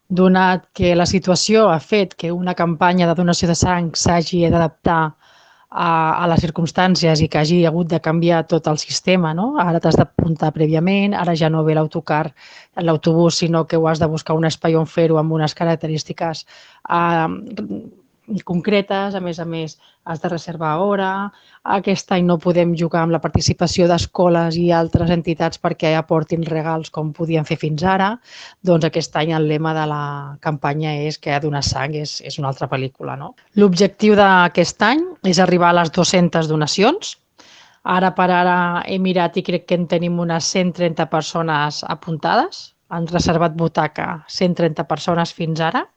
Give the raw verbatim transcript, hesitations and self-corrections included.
Donat que la situació ha fet que una campanya de donació de sang s'hagi d'adaptar a, a les circumstàncies i que hagi hagut de canviar tot el sistema, no? Ara t'has d'apuntar prèviament, ara ja no ve l'autocar en l'autobús, sinó que ho has de buscar un espai on fer-ho amb unes característiques eh, concretes, a més a més has de reservar hora. Aquest any no podem jugar amb la participació d'escoles i altres entitats perquè aportin regals com podien fer fins ara. Doncs aquest any el lema de la campanya és que donar sang és, és una altra pel·lícula, no? L'objectiu d'aquest any és arribar a les dues-centes donacions. Ara per ara he mirat i crec que en tenim unes cent trenta persones apuntades. Han reservat butaca cent trenta persones fins ara.